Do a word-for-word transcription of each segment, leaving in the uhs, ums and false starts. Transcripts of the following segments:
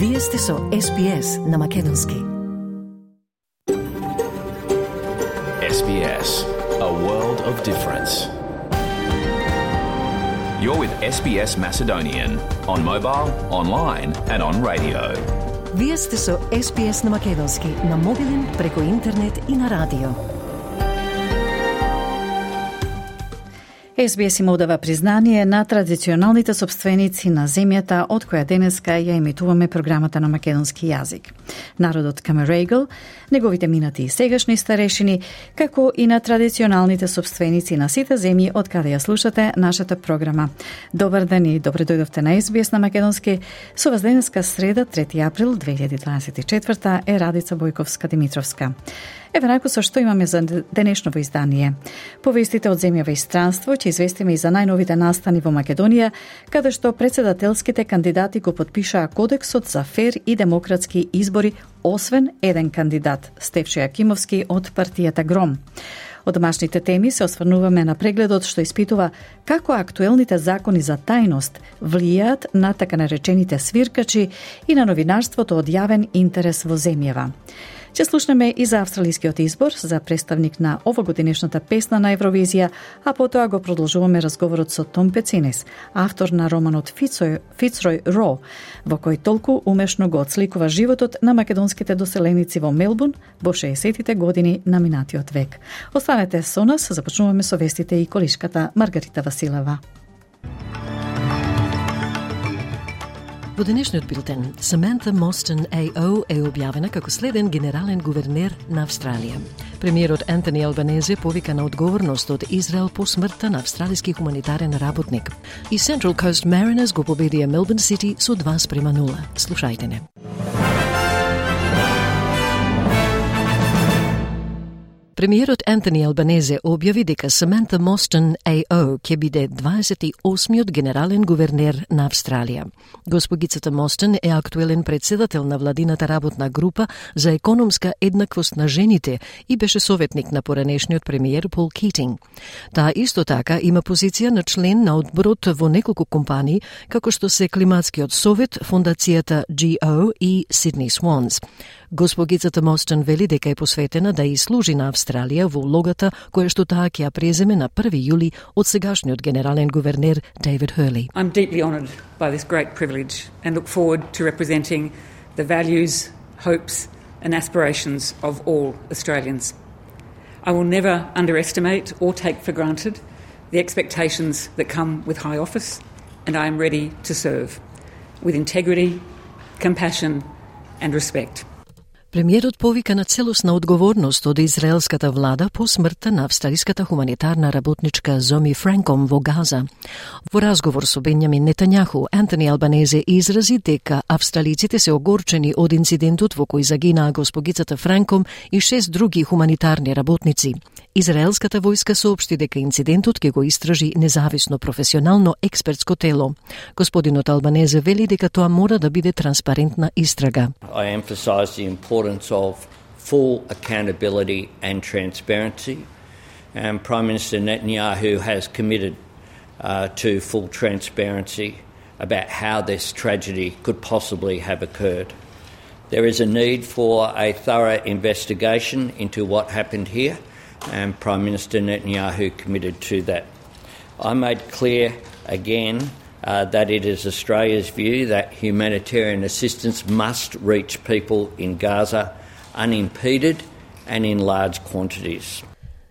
Вие сте со Ес Би Ес на Македонски. Ес Би Ес, a world of difference. You're with Ес Би Ес Macedonian on mobile, online and on radio. Вие сте со Ес Би Ес на Македонски, на мобилен, преку интернет и на радио. Ес Би Ес им одава признание на традиционалните собственици на земјата од која денеска ја емитуваме програмата на македонски јазик. Народот Камерегл, неговите минати и сегашни старешини, како и на традиционалните собственици на сите земји од каде ја слушате нашата програма. Добар ден и добре дојдовте на Ес Би Ес на Македонски. Со вас денеска среда, трети април две илјади дваесет и четврта е Радица Бојковска-Димитровска. Еве рако со што имаме за денешново издание. Повестите од земјава и странство ќе известиме и за најновите настани во Македонија, каде што председателските кандидати го потпишаа кодексот за фер и демократски избори, освен еден кандидат, Стефчо Јакимовски од партијата Гром. Од домашните теми се осврнуваме на прегледот што испитува како актуелните закони за тајност влијаат на така наречените свиркачи и на новинарството од јавен интерес во земјава. Ќе слушнеме и за австралискиот избор за представник на овогодинешната песна на Евровизија, а потоа го продолжуваме разговорот со Том Пецинес, автор на романот Фицрој, Фицрој Ро, во кој толку умешно го отсликува животот на македонските доселеници во Мелбурн во шеесеттите години на минатиот век. Останете со нас, започнуваме со вестите и колишката Маргарита Василева. Во денешниот билтен, Саманта Мостон А О е објавена како следен генерален гувернер на Австралија. Премиерот Антони Албанезе повика на одговорност од Израел по смртта на австралиски хуманитарен работник. И Central Coast Mariners го победија Мелбурн Сити со два спрема нула. Слушајте не. Премиерот Антони Албанезе објави дека Саманта Мостон А О ќе биде дваесет и осмиот генерален гувернер на Австралија. Госпогицата Мостон е актуелен председател на владината работна група за економска еднаквост на жените и беше советник на поранешниот премиер Пол Китинг. Таа исто така има позиција на член на одборот во неколку компании, како што се Климатскиот совет, фондацијата G O и Sydney Swans. Госпогицата Мостон вели дека е посветена да и служи на Австралија во улогата која што таа ќе ја преземе на први јули од сегашниот генерален гувернер Дейвид Хърли. I'm deeply honoured by this great privilege and look forward to representing the values, hopes and aspirations of all Australians. I will never underestimate or take for granted the expectations that come with high office, and I am ready to serve with integrity, compassion and respect. Премиерот повика на целосна одговорност од израелската влада по смртта на австралиската хуманитарна работничка Зоми Франком во Газа. Во разговор со Бенјамин Нетањаху, Антони Албанезе изрази дека австралиците се огорчени од инцидентот во кој загинаа госпогицата Франком и шест други хуманитарни работници. Израелската војска соопшти дека инцидентот ќе го истражи независно професионално експертско тело. Господинот Албанезе вели дека тоа мора да биде транспарентна истрага. I emphasize the importance of full accountability and transparency. And Prime Minister Netanyahu has committed uh, to full transparency about how this tragedy could possibly have occurred. There is a need for a thorough investigation into what happened here, and Prime Minister Netanyahu committed to that. I made clear again uh, that it is Australia's view that humanitarian assistance must reach people in Gaza unimpeded and in large quantities.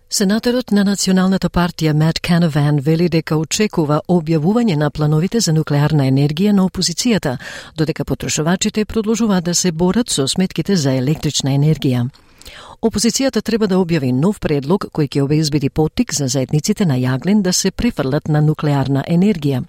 Сенаторот на Националната партија Мат Канаван вели дека очекува објавување на плановите за нуклеарна енергија на опозицијата, додека потрошувачите продолжуваат да се борат со сметките за електрична енергија. Опозицијата треба да објави нов предлог кој ќе обезбеди поттик за заедниците на јаглен да се префрлат на нуклеарна енергија.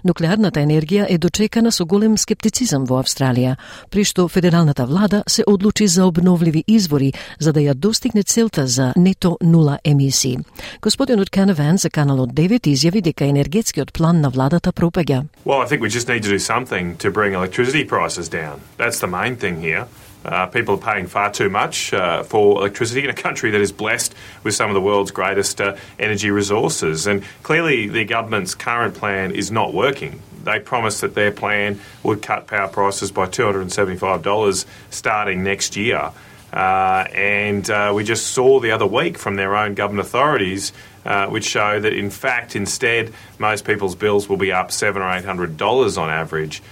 Нуклеарната енергија е дочекана со голем скептицизам во Австралија, при што федералната влада се одлучи за обновливи извори за да ја достигне целта за нето нула емисии. Господинот Канаван за каналот девет изјави дека енергетскиот план на владата пропаѓа. Well, I think we just need to do something to bring electricity prices down. That's the main thing here. Uh, people are paying far too much uh, for electricity in a country that is blessed with some of the world's greatest uh, energy resources. And clearly the government's current plan is not working. They promised that their plan would cut power prices by two hundred seventy-five dollars starting next year. Uh, and uh, we just saw the other week from their own government authorities uh, which show that in fact instead most people's bills will be up seven or eight hundred dollars on average.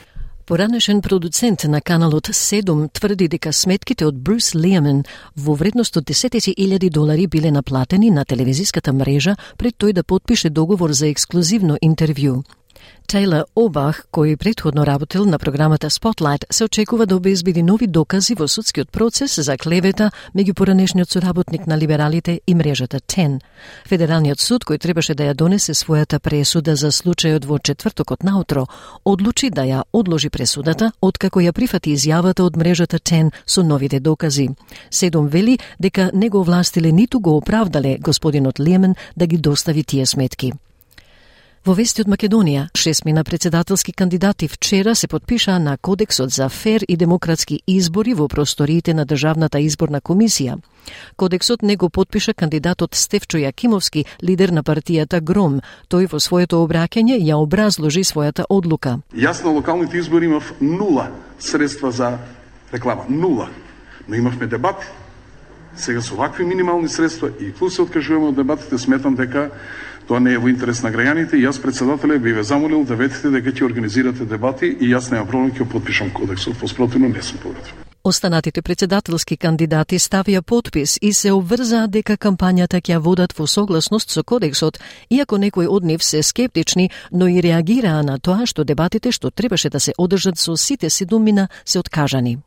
Поранешен продуцент на каналот седум тврди дека сметките од Брус Лиамен во вредност од десетици илјади долари биле наплатени на телевизиската мрежа пред тој да потпише договор за ексклузивно интервју. Тейлор Обах, кој претходно работел на програмата Spotlight, се очекува да обезбеди нови докази во судскиот процес за клевета меѓу поранешниот соработник на либералите и мрежата Тен. Федералниот суд, кој требаше да ја донесе својата пресуда за случајот во четвртокот наутро, одлучи да ја одложи пресудата, откако ја прифати изјавата од мрежата Тен со новите докази. Седум вели дека не го овластиле ниту го оправдале господинот Лиамен да ги достави тие сметки. Во вести од Македонија, шестмина председателски кандидати вчера се потпишаа на Кодексот за фер и демократски избори во просториите на Државната изборна комисија. Кодексот не го потпиша кандидатот Стефчо Јакимовски, лидер на партијата Гром. Тој во своето обраќање ја образложи својата одлука. Јас на локалните избори имав нула средства за реклама. Нула. Но имавме дебати. Сега со вакви минимални средства и плюс се откажуваме од дебатите, сметам дека тоа не е во интерес на граѓаните и јас председателе би ве замолил да ветите дека ќе организирате дебати и јас немам проблем ќе потпишам кодексот, поспротивно не сум против. Останатите председателски кандидати ставија подпис и се обврзаа дека кампањата ќе ја водат во согласност со кодексот, иако некои од нив се скептични, но и реагираа на тоа што дебатите што требаше да се одржат со сите седумина се откажани.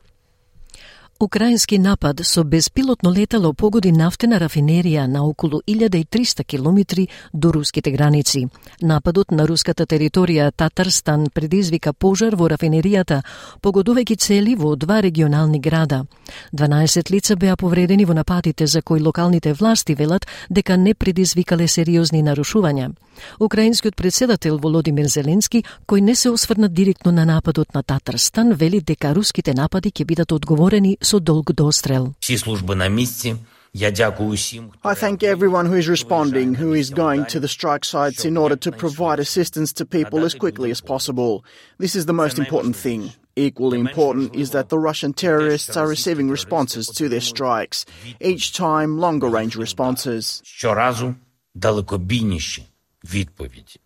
Украински напад со безпилотно летало погоди нафтена рафинерија на околу илјада и триста километри до руските граници. Нападот на руската територија Татарстан предизвика пожар во рафинеријата, погодувајќи цели во два регионални града. дванаесет лица беа повредени во нападите за кои локалните власти велат дека не предизвикале сериозни нарушувања. Украинскиот председател Володимир Зеленски, кој не се осврна директно на нападот на Татарстан, вели дека руските напади ќе бидат одговорени со долг дострел. Сі служби на місці. I thank everyone who is responding, who is going to the strike sites in order to provide assistance to people as quickly as possible. This is the most important thing. Equally important is that the Russian terrorists are receiving responses to their strikes, each time longer-range responses. Щоразу далекобійніші відповіді.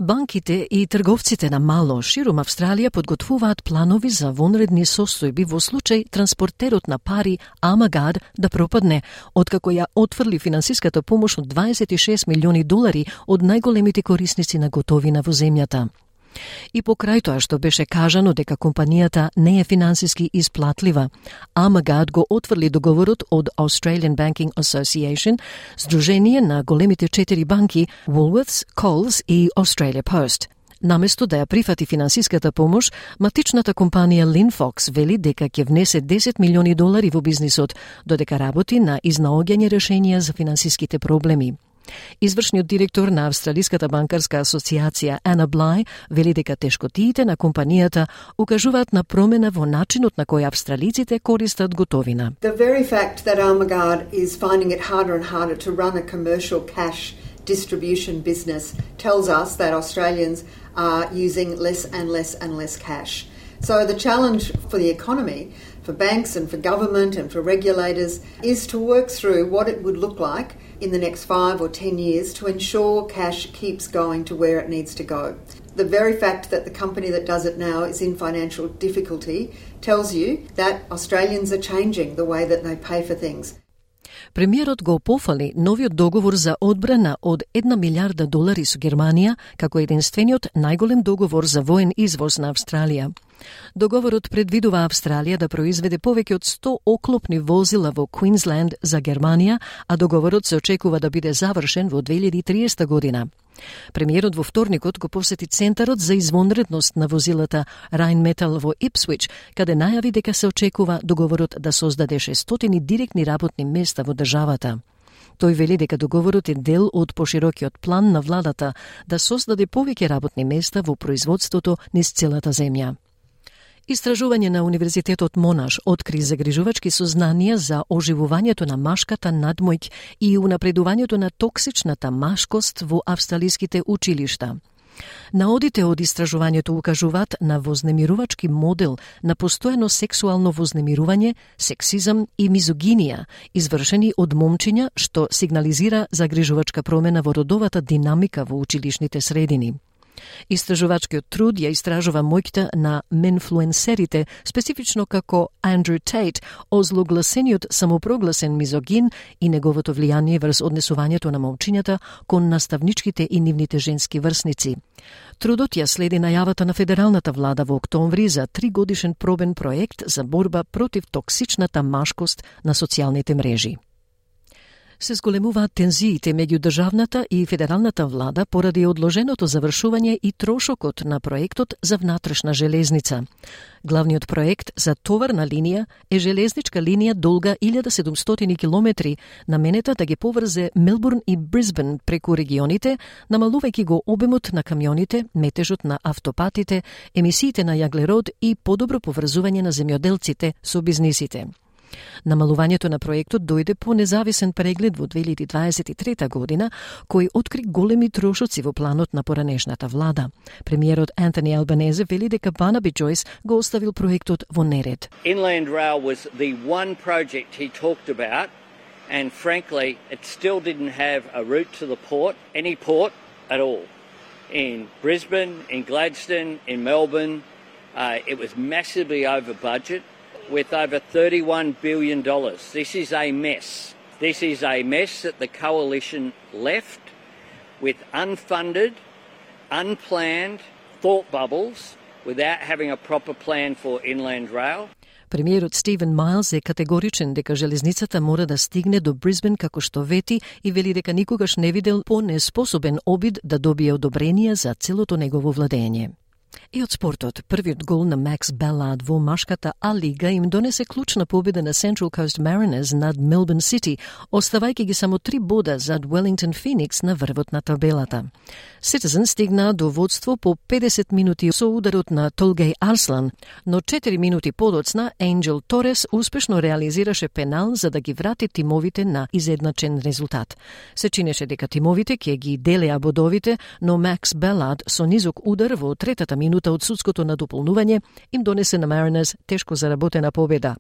Банките и трговците на мало широм Австралија подготвуваат планови за вонредни состојби во случај транспортерот на пари Амагад да пропадне, откако ја отфрли финансиската помош од дваесет и шест милиони долари од најголемите корисници на готовина во земјата. И покрај тоа што беше кажано дека компанијата не е финансиски исплатлива, Амагад го отфрли договорот од Australian Banking Association, сдружение на големите четири банки Woolworths, Coles и Australia Post. Наместо да ја прифати финансиската помош, матичната компанија Linfox вели дека ќе внесе десет милиони долари во бизнисот, додека работи на изнаоѓање решенија за финансиските проблеми. Извршниот директор на Австралиската банкарска асоциација Ана Блај вели дека тешкотиите на компанијата укажуваат на промена во начинот на кој австралиците користат готовина. The very fact that Amagad is finding it harder and harder to run a commercial cash distribution business tells us that Australians are using less and less and less cash. So the challenge for the economy, for banks and for government and for regulators is to work through what it would look like in the next five or ten years to ensure cash keeps going to where it needs to go. The very fact that the company that does it now is in financial difficulty tells you that Australians are changing the way that they pay for things. Премиерот го пофали новиот договор за одбрана од една милиарда долари со Германија како единствениот најголем договор за воен извоз на Австралија. Договорот предвидува Австралија да произведе повеќе од сто оклопни возила во Квинсленд за Германија, а договорот се очекува да биде завршен во две илјади и триесета година. Премиерот во вторникот го посети Центарот за извонредност на возилата Rheinmetall во Ипсвич, каде најави дека се очекува договорот да создаде шестстотини директни работни места во државата. Тој вели дека договорот е дел од поширокиот план на владата да создаде повеќе работни места во производството низ целата земја. Истражување на Универзитетот Монаш откри загрижувачки сознанија за оживувањето на машката надмојк и унапредувањето на токсичната машкост во австралиските училишта. Наодите од истражувањето укажуваат на вознемирувачки модел на постојано сексуално вознемирување, сексизам и мизогинија, извршени од момчиња, што сигнализира загрижувачка промена во родовата динамика во училишните средини. Истражувачкиот труд ја истражува моќта на менфлуенсерите, специфично како Андрю Тейт, озлогласениот самопрогласен мизогин и неговото влијание врз однесувањето на момчињата кон наставничките и нивните женски врсници. Трудот ја следи најавата на федералната влада во октомври за тригодишен пробен проект за борба против токсичната машкост на социјалните мрежи. Се зголемуваат тензиите меѓу државната и федералната влада поради одложеното завршување и трошокот на проектот за внатрешна железница. Главниот проект за товарна линија е железничка линија долга илјада и седумстотини километри, наменета да ги поврзе Мелбурн и Брисбен преку регионите, намалувајќи го обемот на камионите, метежот на автопатите, емисиите на јаглерод и подобро поврзување на земјоделците со бизнисите. Намалувањето на проектот дојде по независен преглед во две илјади дваесет и трета година, кој откри големи трошоци во планот на поранешната влада. Премиерот Антони Албанезе вели дека Барнаби Джойс го оставил проектот во неред. Inland Rail was the one project he talked about, and frankly, it still didn't have a route to the port, any port at all. In Brisbane, in Gladstone, in Melbourne, uh, it was massively over budget, with over thirty-one billion dollars. This is a mess. This is a mess that the coalition left with unfunded, unplanned thought bubbles without having a proper plan for Inland Rail. Премиерот Стивен Майлс е категоричен дека железницата мора да стигне до Брисбен како што вети и вели дека никогаш не видел по-неспособен обид да добие одобрение за целото негово владење. И од спортот, првиот гол на Макс Беллард во машката А-лига им донесе клучна победа на Central Coast Mariners над Melbourne City, оставајќи ги само три бода зад Wellington Phoenix на врвот на табелата. Citizen стигна до водство по педесет минути со ударот на Толгей Арслан, но четири минути подоцна Angel Торес успешно реализираше пенал за да ги врати тимовите на изедначен резултат. Се чинеше дека тимовите ќе ги делеа бодовите, но Макс Беллард со низок удар во третата минута од судското надополнување им донесе на Mariners тешко заработена победа.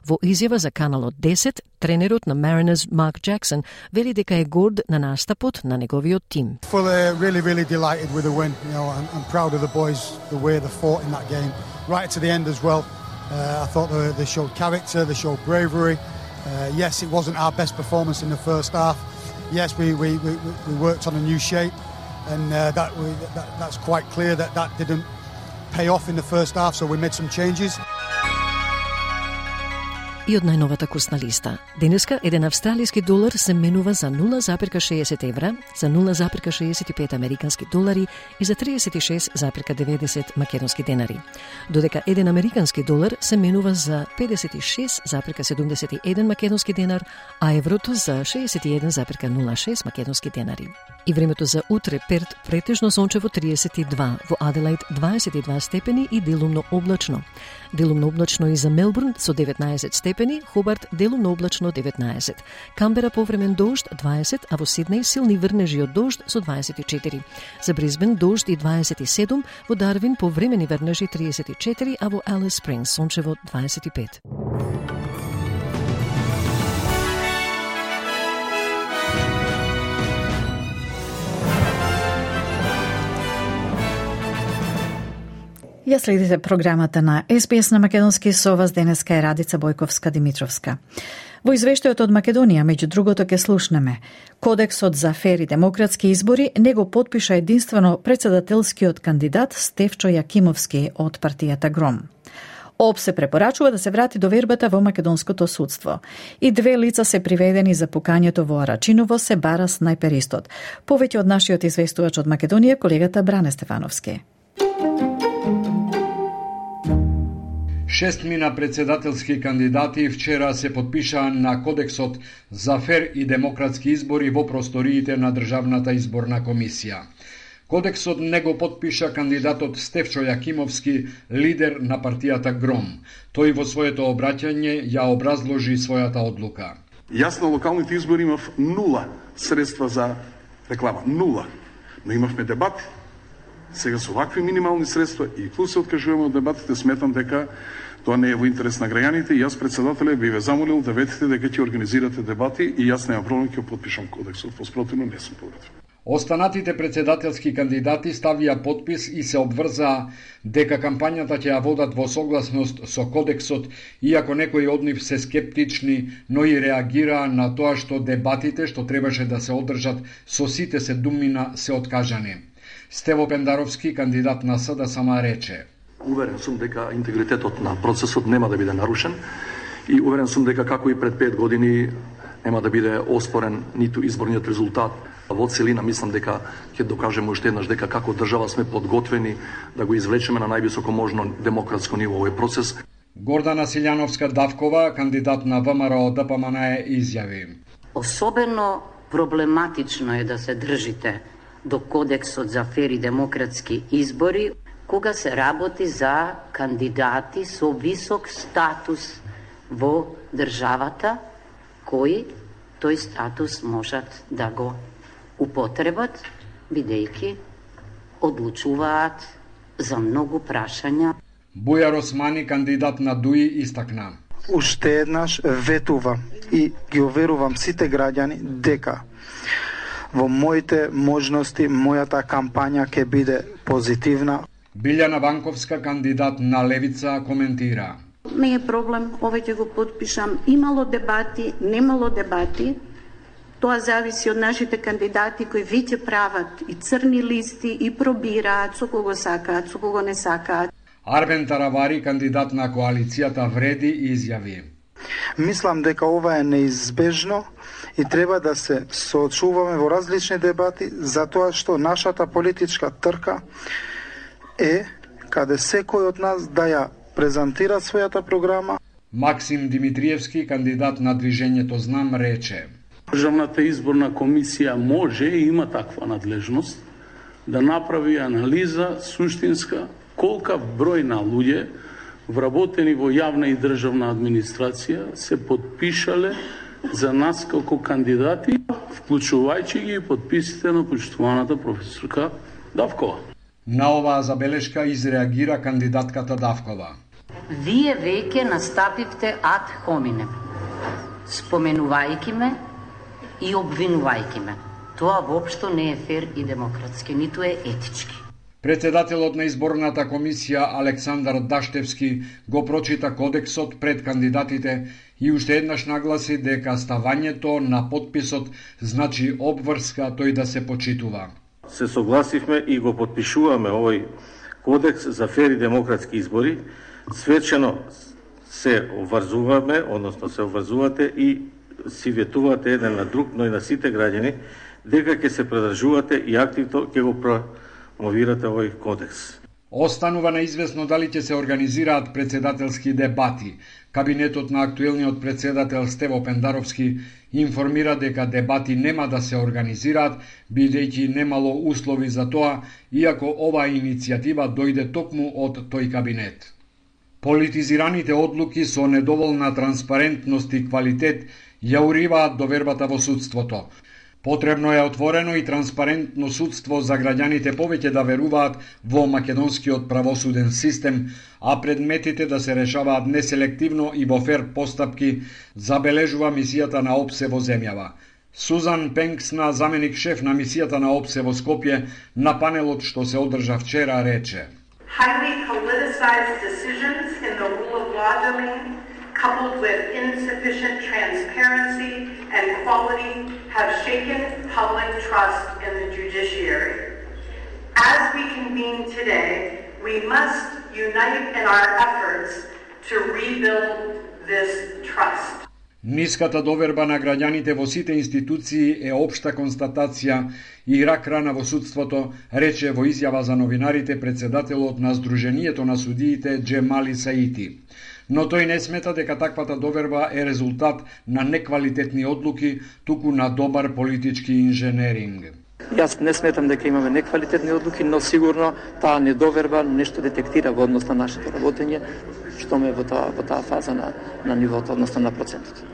Во изјава за Каналот десет, тренерот на Mariners Марк Джаксон вели дека е горд на настапот на неговиот тим. Really, really delighted with the win. You know, I'm, I'm proud of the boys, the way they fought in that game, right to the end as well. Uh, I thought they, they showed character, they showed bravery. Uh, yes, it wasn't our best performance in the first half. Yes, we we, we, we worked on a new shape, and uh, that, we, that that's quite clear that that didn't pay off in the first half. So we made some changes. И од најновата курсна листа. Денеска еден австралиски долар се менува за нула запирка шеесет евра, за нула запирка шеесет и пет американски долари и за триесет и шест запирка деветдесет македонски денари. Додека еден американски долар се менува за педесет и шест запирка седумдесет и еден македонски денар, а еврото за шеесет и еден запирка нула шест македонски денари. И времето за утре: Перт претежно сончево триесет и два, во Аделаид дваесет и два степени и делумно облачно. Делумно облачно и за Мелбурн со деветнаесет степени, Хобарт делумно облачно деветнаесет. Камбера повремен дожд дваесет, а во Сиднеј силни врнежи од дожд со дваесет и четири. За Брисбен дожд и дваесет и седум, во Дарвин повремени врнежи триесет и четири, а во Алис Спрингс сончево дваесет и пет. Ја следите програмата на Ес Би Ес на македонски, со вас денеска е Радица Бојковска-Димитровска. Во извештајот од Македонија, меѓу другото, ќе слушнеме: Кодексот за фери демократски избори не го потпиша единствено председателскиот кандидат Стефчо Јакимовски од партијата Гром. ОП се препорачува да се врати довербата во македонското судство. И две лица се приведени за пукањето во Арачиново, се бара снајперистот. Повеќе од нашиот известувач од Македонија, колегата Бране Стефановски. Шестмина председателски кандидати вчера се потпишаа на Кодексот за фер и демократски избори во просториите на Државната изборна комисија. Кодексот не го потпиша кандидатот Стефчо Јакимовски, лидер на партијата Гром. Тој во своето обраќање ја образложи својата одлука. Јас на локалните избори имав нула средства за реклама. Нула. Но имавме дебати. Сега со вакви минимални средства и плюс се откажуваме од дебатите, сметам дека тоа не е во интерес на граѓаните и јас председателе би ве замолил да ветите дека ќе организирате дебати и јас немам проблем ќе потпишам кодексот, воспротивно не сум подготвен. Останатите председателски кандидати ставија подпис и се обврзаа дека кампањата ќе ја водат во согласност со кодексот, иако некои од нив се скептични, но и реагираа на тоа што дебатите што требаше да се одржат со сите седумина се откажани. Стево Пендаровски, кандидат на СДСМ, рече: Уверен сум дека интегритетот на процесот нема да биде нарушен и уверен сум дека како и пред пет години нема да биде оспорен ниту изборниот резултат. Во целина мислам дека ќе докажеме уште еднаш дека како држава сме подготвени да го извлечеме на највисоко можно демократско ниво овој процес. Гордана Силјановска-Давкова, кандидат на ВМРО Д П М Н, изјави: Особено проблематично е да се држите до кодексот за фери демократски избори кога се работи за кандидати со висок статус во државата, кои тој статус можат да го употребат, бидејќи одлучуваат за многу прашања. Бујар Османи, кандидат на ДУИ, истакна: Уште еднаш ветува и ги уверувам сите граѓани дека во моите можности мојата кампања ќе биде позитивна. Билјана Ванковска, кандидат на Левица, коментира: Не е проблем, овој ќе го подпишам. Имало дебати, немало дебати. Тоа зависи од нашите кандидати кои веќе прават и црни листи и пробираат со кого сакаат, со кого не сакаат. Арбен Таравари, кандидат на коалицијата Вреди, изјави: Мислам дека ова е неизбежно и треба да се соочуваме во различни дебати, затоа што нашата политичка трка е каде секој од нас да ја презентира својата програма. Максим Димитриевски, кандидат на Движењето Знам, рече: Државната изборна комисија може и има таква надлежност да направи анализа суштинска колка број на луѓе вработени во јавна и државна администрација се подпишале за нас како кандидати, вклучувајќи ги подписите на почитуваната професорка Давкова. На оваа забелешка изреагира кандидатката Давкова: Вие веќе настапивте ад хоминем, споменувајќи ме и обвинувајќи ме. Тоа воопшто не е фер и демократски, ниту е етички. Председателот на изборната комисија Александар Даштевски го прочита кодексот пред кандидатите и уште еднаш нагласи дека ставањето на подписот значи обврска тој да се почитува. Се согласивме и го подпишуваме овој кодекс за фери демократски избори. Свечено се обврзуваме, односно се обврзувате и си ветувате еден на друг, но и на сите граѓани, дека ќе се придржувате и активно ќе го промовирате овој кодекс. Останува неизвестно дали ќе се организираат председателски дебати. Кабинетот на актуелниот председател Стево Пендаровски информира дека дебати нема да се организираат, бидејќи немало услови за тоа, иако оваа иницијатива дојде токму од тој кабинет. Политизираните одлуки со недоволна транспарентност и квалитет ја уриваат довербата во судството. Потребно е отворено и транспарентно судство за граѓаните повеќе да веруваат во македонскиот правосуден систем, а предметите да се решаваат неселективно и во фер постапки, забележува мисијата на ОПСЕ во земјава. Сузан Пенксна, заменик шеф на мисијата на ОПСЕ во Скопје, на панелот што се одржа вчера, рече: Highly politicized decisions in the rule of law domain, coupled with insufficient transparency and quality, have shaken public trust in the judiciary. As we convene today, we must unite in our efforts to rebuild this trust. Ниската доверба на граѓаните во сите институции е општа констатација и рак рана во судството, рече во изјава за новинарите председателот на Сдруженијето на судиите Џемали Саити. Но тој не смета дека таквата доверба е резултат на неквалитетни одлуки, туку на добар политички инженеринг. Јас не сметам дека имаме неквалитетни одлуки, но сигурно таа недоверба нешто детектира во однос на нашето работење, што ме во таа во таа фаза на на нивото, односно на процентот.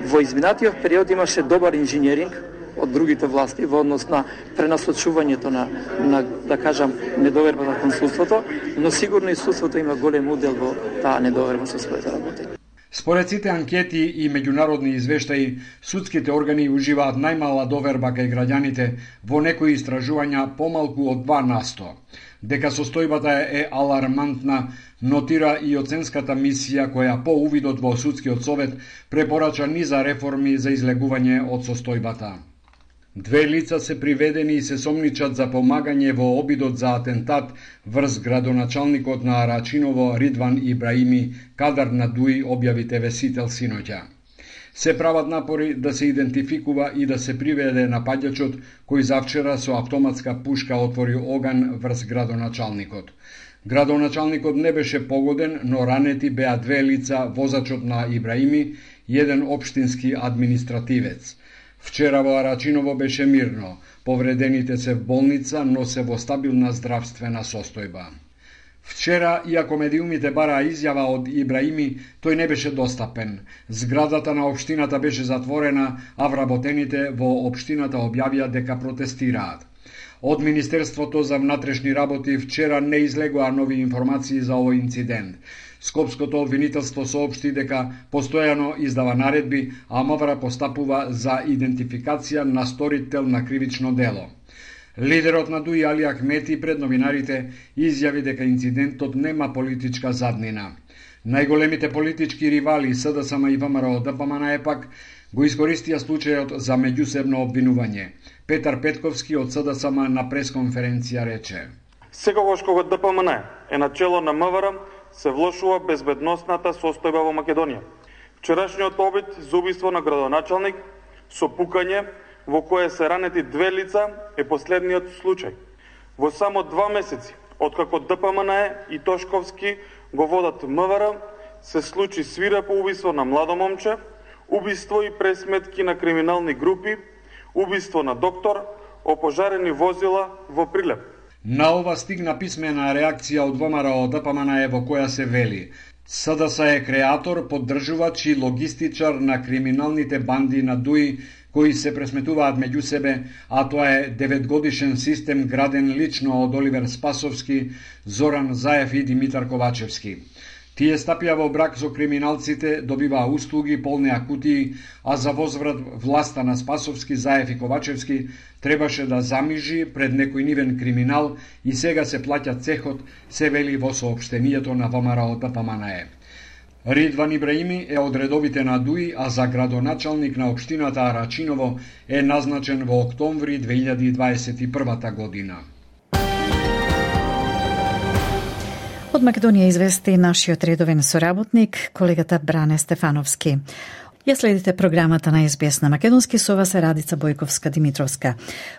Во изминатиот период имаше добар инженеринг од другите власти во однос на пренасочувањето на, на да кажам, недовербата кон судството, но сигурно и судството има голем удел во таа недоверба со своето работење. Според сите анкети и меѓународни извештаи, судските органи уживаат најмала доверба кај граѓаните, во некои истражувања помалку од два на сто. Дека состојбата е алармантна, нотира и оценската мисија која по увидот во судскиот совет препорача низа реформи за излегување од состојбата. Две лица се приведени и се сомничат за помагање во обидот за атентат врз градоначалникот на Арачиново Ридван Ибраими, кадар на Дуи, објави те ве Сител синоќа. Се прават напори да се идентификува и да се приведе напаѓачот кој завчера со автоматска пушка отвори оган врз градоначалникот. Градоначалникот не беше погоден, но ранети беа две лица, возачот на Ибраими и еден општински административец. Вчера во Арачиново беше мирно, повредените се в болница, но се во стабилна здравствена состојба. Вчера, иако медиумите бараа изјава од Ибраими, тој не беше достапен. Зградата на општината беше затворена, а вработените во општината објавија дека протестираат. Од Министерството за внатрешни работи вчера не излегоа нови информации за овој инцидент. Скопското обвинителство соопшти дека постојано издава наредби, а МВР постапува за идентификација на сторител на кривично дело. Лидерот на Дуи Али Ахмети пред новинарите изјави дека инцидентот нема политичка заднина. Најголемите политички ривали СДСМ и ВМРО ДПМН пак го искористија случајот за меѓусебно обвинување. Петар Петковски од СДСМ на пресконференција рече: Секогаш кога ДПМН е на чело на МВР, се влошува безбедносната состојба во Македонија. Вчерашниот обид за убиство на градоначалник со пукање во кое се ранети две лица е последниот случај. Во само два месеци, откако ДПМН и Тошковски го водат МВР, се случи свирепо убиство на младо момче, убиство и пресметки на криминални групи, убиство на доктор, опожарени возила во Прилеп. На ова стигна писмена реакција од ВМРО ДПМН во која се вели: СДС е креатор, поддржувач и логистичар на криминалните банди на Дуи кои се пресметуваат меѓу себе, а тоа е деветгодишен систем граден лично од Оливер Спасовски, Зоран Заев и Димитар Ковачевски. Тие стапија во брак со криминалците, добиваа услуги, полнеа кутии, а за возврат власта на Спасовски, Заев и Ковачевски требаше да замижи пред некој нивен криминал и сега се плаќа цехот, се вели во соопштението на ВМРО ДПМН. Ридван Ибраими е од редовите на Дуи, а за градоначалник на општината Арачиново е назначен во октомври две илјади дваесет и прва година. Од Македонија извести нашиот редовен соработник, колегата Бране Стефановски. Ја следите програмата на Ес Би Ес на македонски, со вас е Радица Бојковска-Димитровска.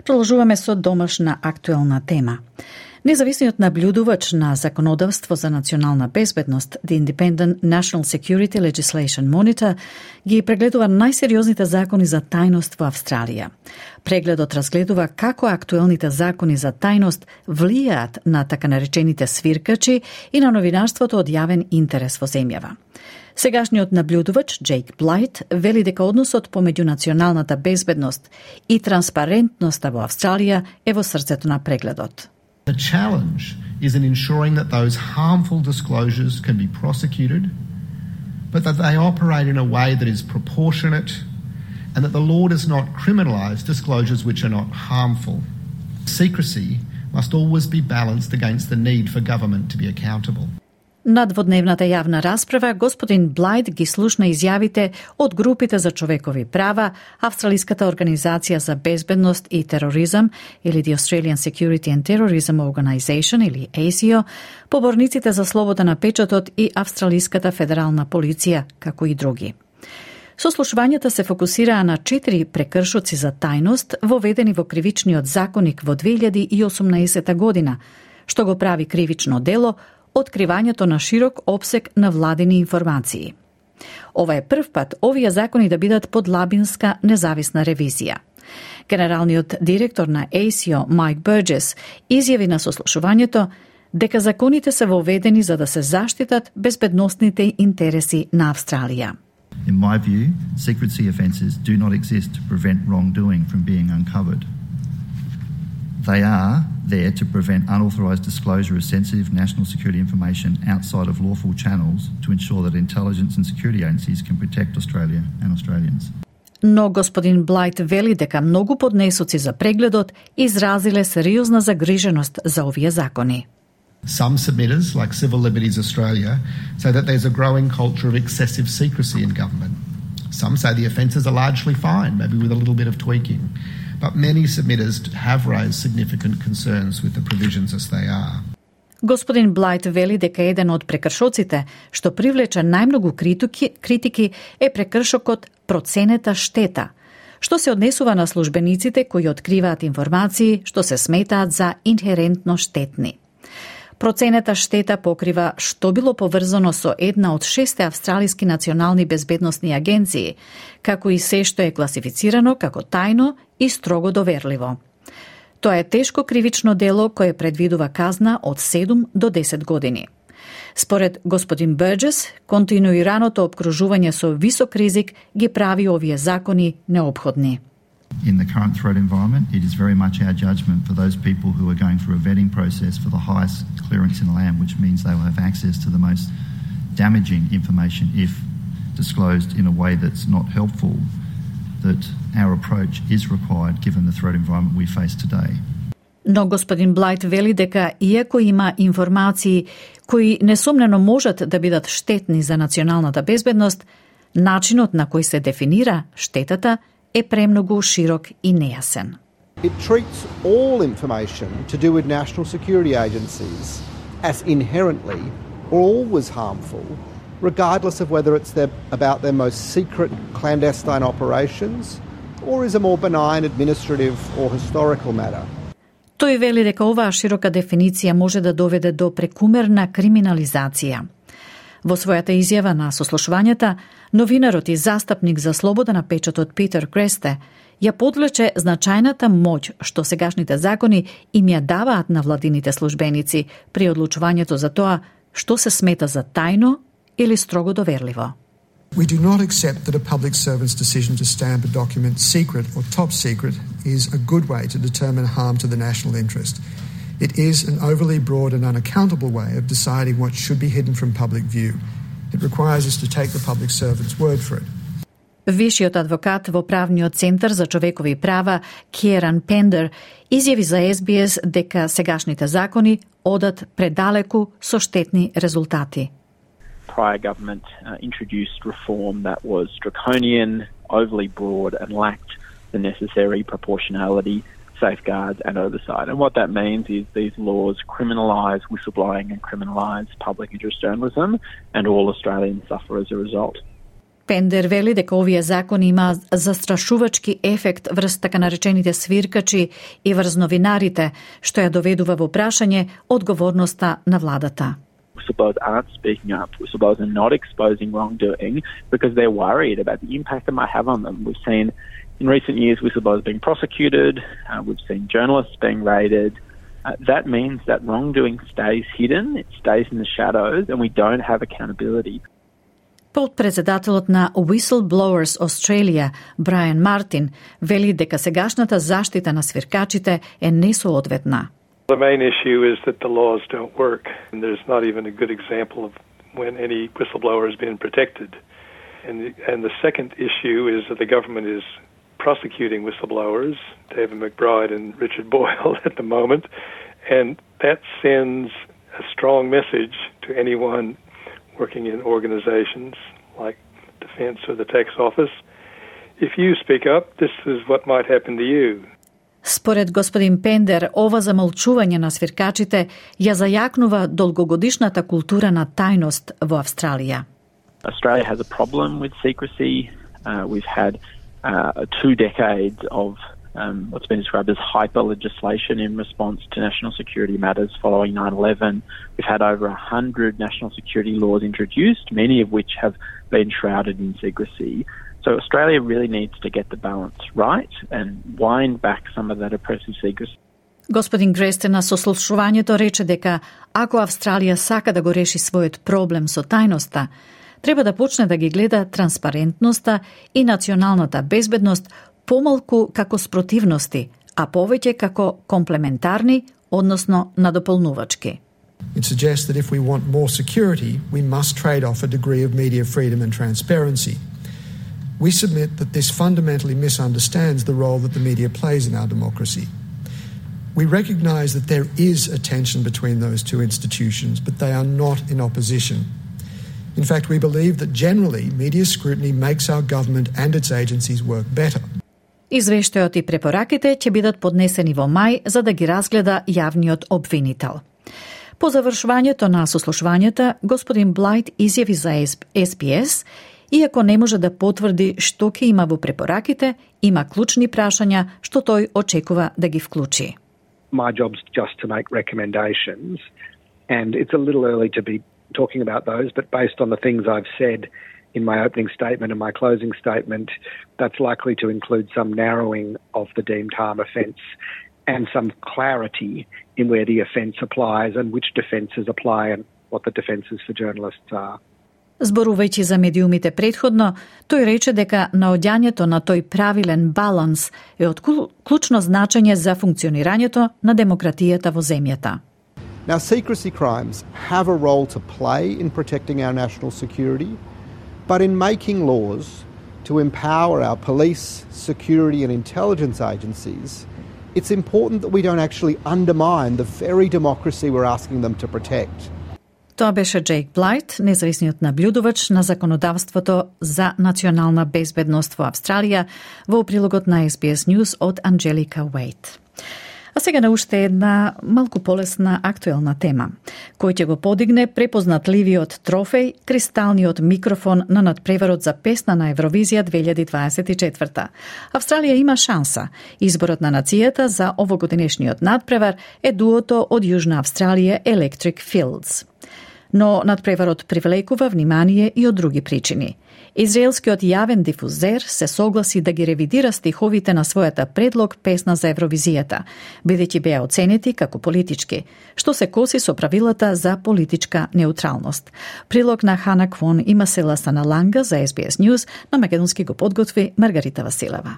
Продолжуваме со домашна актуелна тема. Независниот наблюдувач на законодавство за национална безбедност, The Independent National Security Legislation Monitor, ги прегледува најсериозните закони за тајност во Австралија. Прегледот разгледува како актуелните закони за тајност влијаат на така наречените свиркачи и на новинарството од јавен интерес во земјава. Сегашниот наблюдувач, Джейк Блайт, вели дека односот помеѓу националната безбедност и транспарентноста во Австралија е во срцето на прегледот. The challenge is in ensuring that those harmful disclosures can be prosecuted, but that they operate in a way that is proportionate and that the law does not criminalise disclosures which are not harmful. Secrecy must always be balanced against the need for government to be accountable. На дводневната јавна расправа, господин Блайт ги слушна изјавите од групите за човекови права, Австралиската организација за безбедност и тероризам или The Australian Security and Terrorism Organisation или А С И О, поборниците за слобода на печатот и Австралиската федерална полиција, како и други. Сослушувањата се фокусираа на четири прекршоци за тајност воведени во кривичниот законник во две илјади и осумнаесета година, што го прави кривично дело откривањето на широк опсег на владини информации. Ова е прв пат овие закони да бидат под лабинска независна ревизија. Генералниот директор на A C I O, Майк Бурджес, изјави на сослушувањето дека законите се воведени за да се заштитат безбедносните интереси на Австралија. In my view, secrecy offences do not exist to prevent wrongdoing from being uncovered. They are there to prevent unauthorised disclosure of sensitive national security information outside of lawful channels to ensure that intelligence and security agencies can protect Australia and Australians. Но господин Блайт вели дека многу поднесоци за прегледот изразиле сериозна загриженост за овие закони. Some submitters, like Civil Liberties Australia, say that there's a growing culture of excessive secrecy in government. Some say the offences are largely fine, maybe with a little bit of tweaking. But many submitters have raised significant concerns with the provisions as they are. Господин Блайт вели дека еден од прекршоците што привлече најмногу критики, критики е прекршокот проценета штета, што се однесува на службениците кои откриваат информации што се сметаат за инхерентно штетни. Проценета штета покрива што било поврзано со една од шесте австралиски национални безбедносни агенции, како и се што е класифицирано како тајно и строго доверливо. Тоа е тешко кривично дело кое предвидува казна од седум до десет години. Според господин Бурджес, континуираното обкружување со висок ризик ги прави овие закони неопходни. In the current threat environment, it is very much our judgment for those people who are going through a vetting process for the highest clearance in the land, which means they will have access to the most damaging information if disclosed in a way that's not helpful, that our approach is required given the threat environment we face today. Но господин Блайт вели дека иако има информации кои несомнено можат да бидат штетни за националната безбедност, начинот на кој се дефинира штетата е премногу широк и нејасен. It treats all information to do with national security agencies as inherently or always harmful, regardless of whether it's their, about their most secret clandestine operations or is a more benign administrative or historical matter. Тој вели дека оваа широка дефиниција може да доведе до прекумерна криминализација. Во својата изјава на сослушувањата, новинарот и застапник за слобода на печатот Питер Кресте ја подлече значајната моќ што сегашните закони им ја даваат на владините службеници при одлучувањето за тоа што се смета за тајно или строго доверливо. We do not accept that a public servant's decision to stamp a document secret or top secret is a good way to determine harm to the national interest. It is an overly broad and unaccountable way of deciding what should be hidden from public view. It requires us to take the public servant's word for it. Вишиот адвокат во правниот центар за човекови права Киеран Пендер изјави за Ес Би Ес дека сегашните закони одат предалеку со штетни резултати. Prior government uh, introduced reform that was draconian, overly broad and lacked the necessary proportionality, safeguards and oversight. And what that means is these laws criminalise whistleblowing and criminalise public interest journalism, and all Australians suffer as a result. Пендер вели дека овие закони има застрашувачки ефект врз така наречените свиркачи и врз новинарите, што ја доведува во прашање одговорноста на владата. Whistleblowers aren't speaking up. Whistleblowers are not exposing wrongdoing because they're worried about the impact it might have on them. We've seen in recent years whistleblowers being prosecuted. Uh, we've seen journalists being raided. Uh, that means that wrongdoing stays hidden, it stays in the shadows, and we don't have accountability. Подпредседателот на Whistleblowers Australia, Брайан Мартин, вели дека сегашната заштита на свиркачите е несоодветна. The main issue is that the laws don't work, and there's not even a good example of when any whistleblower has been protected. And the, and the second issue is that the government is prosecuting whistleblowers, David McBride and Richard Boyle at the moment, and that sends a strong message to anyone working in organisations like Defence or the Tax Office. If you speak up, this is what might happen to you. Според господин Пендер, ова замолчување на свиркачите ја зајакнува долгогодишната култура на тајност во Австралија. Australia has a problem with secrecy. Uh, we've had uh, two decades of um, what's been described as hyper legislation in response to national security matters following nine eleven. We've had over one hundred national security laws introduced, many of which have been shrouded in secrecy. So Australia really needs to get the balance right and wind back some of that oppressive secrecy. Господин Гресте на сослушувањето рече дека ако Австралија сака да го реши својот проблем со тајноста, треба да почне да ги гледа транспарентноста и националната безбедност помалку како спротивности, а повеќе како комплементарни, односно надополнувачки. It suggests that if we want more security, we must trade off a degree of media freedom and transparency. We submit that this fundamentally misunderstands the role that the media plays in our democracy. We recognise that there is a tension between those two institutions, but they are not in opposition. In fact, we believe that generally media scrutiny makes our government and its agencies work better. Извештајот и препораките ќе бидат поднесени во мај за да ги разгледа јавниот обвинител. По завршувањето на сослушувањето, господин Блайт изјави за Ес Би Ес, иако не може да потврди што ќе има во препораките, има клучни прашања што тој очекува да ги вклучи. My job's just to make recommendations, and it's a little early to be talking about those, but based on the things I've said in my opening statement and my closing statement, that's likely to include some narrowing of the deemed harm offence and some clarity in where the offence applies and which defences apply and what the defences for journalists are. Зборувајќи за медиумите претходно, тој рече дека наоѓањето на тој правилен баланс е од клучно значење за функционирањето на демократијата во земјата. Now, secrecy crimes have a role to play in protecting our national security, but in making laws to empower our police, security and intelligence agencies, it's important that we don't actually undermine the very democracy we're asking them to protect. Тоа беше Джейк Блайт, независниот наблюдувач на законодавството за национална безбедност во Австралија, во прилогот на Ес Би Ес News од Анджелика Уейт. А сега на уште една малку полесна актуелна тема, кој ќе го подигне препознатливиот трофеј, кристалниот микрофон на надпреварот за песна на Евровизија две илјади дваесет и четврта. Австралија има шанса. Изборот на нацијата за овогодинешниот надпревар е дуото од Јужна Австралија Electric Fields. Но надпреварот привлекува внимание и од други причини. Израелскиот јавен дифузер се согласи да ги ревидира стиховите на својата предлог песна за Евровизијата, бидејќи беа оценети како политички, што се коси со правилата за политичка неутралност. Прилог на Хана Квон има села Саналанга за Ес Би Ес News, на македонски го подготви Маргарита Василева.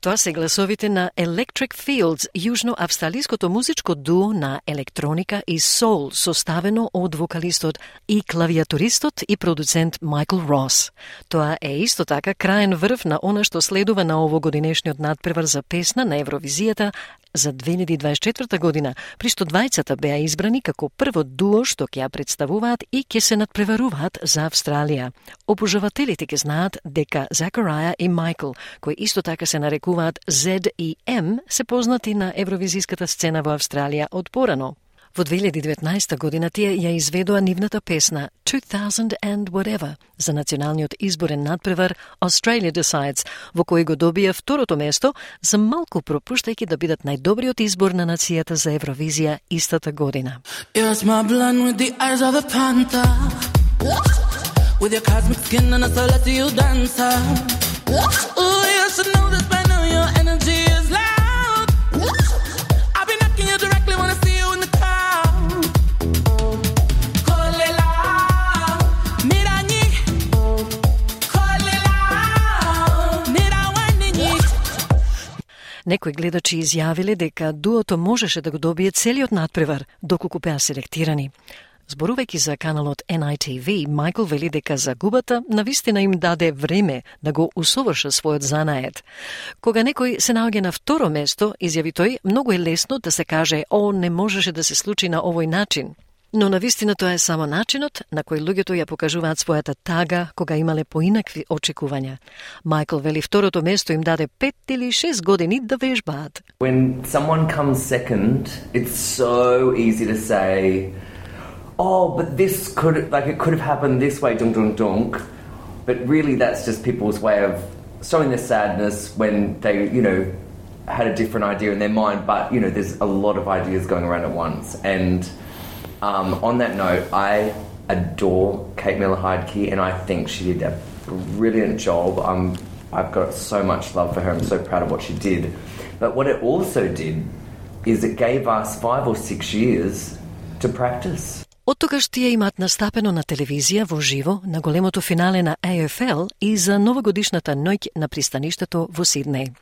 Тоа се гласовите на Electric Fields, јужно-австралиското музичко дуо на електроника и соул, составено од вокалистот и клавиатуристот и продуцент Майкл Рос. Тоа е исто така краен врв на она што следува на овогодинешниот надпревар за песна на Евровизијата за две илјади дваесет и четврта година, при што двајцата беа избрани како прво дуо што ќе ја представуваат и ќе се надпреваруваат за Австралија. Обожавателите ќе знаат дека Закараја и Майкл, кои исто така се нарекуваат Зед и Ем, се познати на евровизиската сцена во Австралија од порано. Во две илјади и деветнаесета година тие ја изведоа нивната песна two thousand and Whatever за националниот изборен надпревар Australia Decides, во кој го добија второто место, за малку пропуштајќи да бидат најдобриот избор на нацијата за Евровизија истата година. You're my blonde with the eyes of a panther, with your cosmic skin and a celestial dancer. Oh, you should know this by now, your energy is loud. I'll be knocking you directly when I see you in the crowd. Kolela, mirani, kolela, mirawani. Некои гледачи изјавиле дека дуото можеше да го добие целиот надпревар, доколку беа селектирани. Зборувајќи за каналот Ен Ај Ти Ви, Майкл вели дека загубата навистина им даде време да го усовршат својот занаед. Кога некој се наоѓа на второ место, изјави тој, многу е лесно да се каже, о, не можеше да се случи на овој начин. Но навистина тоа е само начинот на кој луѓето ја покажуваат својата тага кога имале поинакви очекувања. Майкл вели второто место им даде пет или шест години да вежбаат. When someone comes second, it's so easy to say, oh, but this could, like, it could have happened this way, dunk, dunk, dunk. But really that's just people's way of showing their sadness when they, you know, had a different idea in their mind. But, you know, there's a lot of ideas going around at once. And um, on that note, I adore Kate Miller-Heidke, and I think she did a brilliant job. I'm, I've got so much love for her. I'm so proud of what she did. But what it also did is it gave us five or six years to practice. Оттогаш тие имаат настапено на телевизија во живо на големото финале на А Ф Л и за новогодишната ноќ на пристаништето во Сиднеј.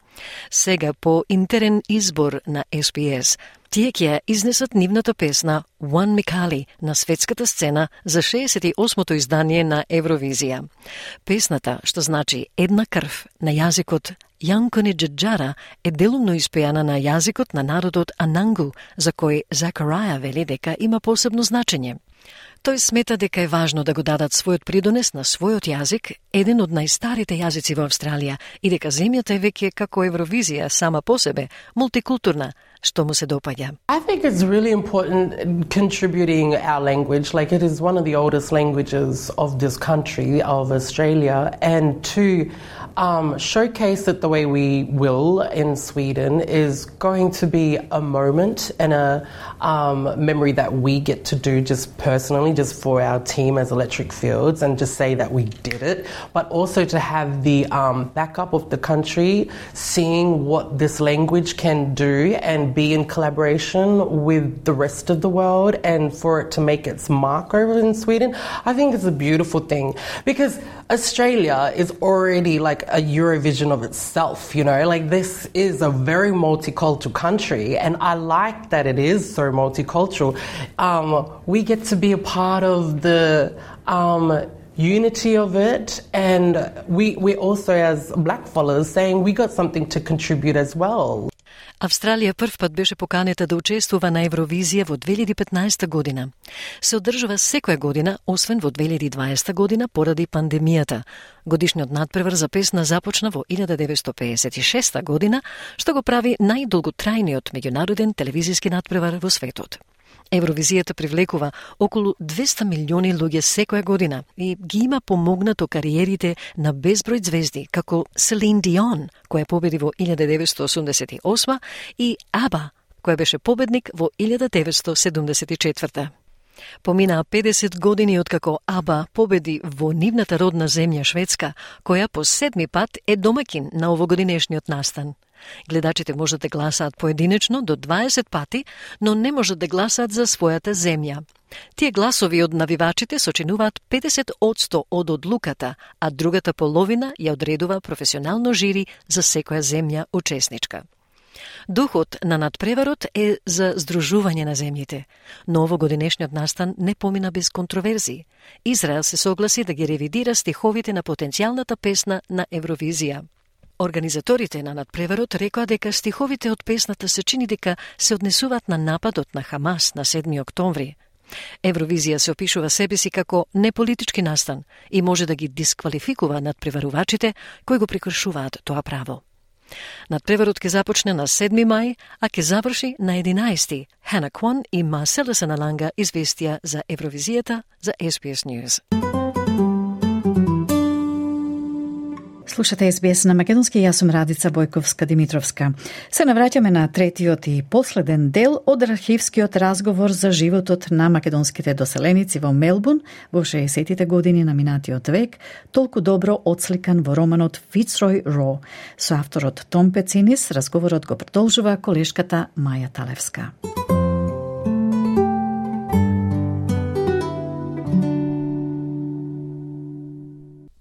Сега по интерен избор на Ес Би Ес, тие ќе изнесат нивната песна One Mikali на светската сцена за шеесет и осмото издание на Евровизија. Песната, што значи една крв на јазикот Јанкони Джаджара, е делумно испејана на јазикот на народот Анангу, за кој Закараја вели дека има посебно значење. Тој смета дека е важно да го дадат својот придонес на својот јазик, еден од најстарите јазици во Австралија, и дека земјата е веќе како Евровизија сама по себе, мултикултурна, што му се допаѓа. I think it's really important contributing our language, like it is one of the oldest languages of this country, of Australia, and to um, showcase it the way we will in Sweden is going to be a moment and a um, memory that we get to do just personally, just for our team as Electric Fields, and just say that we did it, but also to have the um, backup of the country, seeing what this language can do and be in collaboration with the rest of the world, and for it to make its mark over in Sweden. I think it's a beautiful thing, because Australia is already like a Eurovision of itself, you know, like this is a very multicultural country, and I like that it is so multicultural. Um, we get to be a part of the um, unity of it, and we, we also as blackfellas saying we got something to contribute as well. Австралија првпат беше поканета да учествува на Евровизија во две илјади и петнаесета година. Се одржува секоја година, освен во две илјади и дваесета година поради пандемијата. Годишниот надпревар за песна започна во илјада деветстотини пеесет и шеста година, што го прави најдолготрајниот меѓународен телевизиски надпревар во светот. Евровизијата привлекува околу двеста милиони луѓе секоја година и ги има помогнато кариерите на безброј звезди, како Селин Дион, која победи во илјада деветстотини осумдесет и осма, и Аба, која беше победник во илјада деветстотини седумдесет и четврта. Поминаа педесет години откако Аба победи во нивната родна земја Шведска, која по седми пат е домакин на овогодинешниот настан. Гледачите можат да гласаат поединечно до дваесет пати, но не можат да гласаат за својата земја. Тие гласови од навивачите сочинуваат педесет одсто од одлуката, а другата половина ја одредува професионално жири за секоја земја учесничка. Духот на надпреварот е за здружување на земјите, но овогодинешниот настан не помина без контроверзии. Израел се согласи да ги ревидира стиховите на потенцијалната песна на Евровизија. Организаторите на надпреварот рекоа дека стиховите од песната се чини дека се однесуваат на нападот на Хамас на седми октомври. Евровизија се опишува себе си како неполитички настан и може да ги дисквалификува надпреварувачите кои го прекршуваат тоа право. Надпреварот ќе започне на седми мај, а ќе заврши на единаести. Хана Квон и Марсело Саналанга известија за Евровизијата за Ес Би Ес News. Слушате Ес Би Ес на македонски, јас сум Радица Бојковска-Димитровска. Се навраќаме на третиот и последен дел од архивскиот разговор за животот на македонските доселеници во Мелбурн во шеесеттите години на минатиот век, толку добро отсликан во романот Фицрой Ро. Со авторот Том Пецинис разговорот го продолжува колешката Маја Талевска.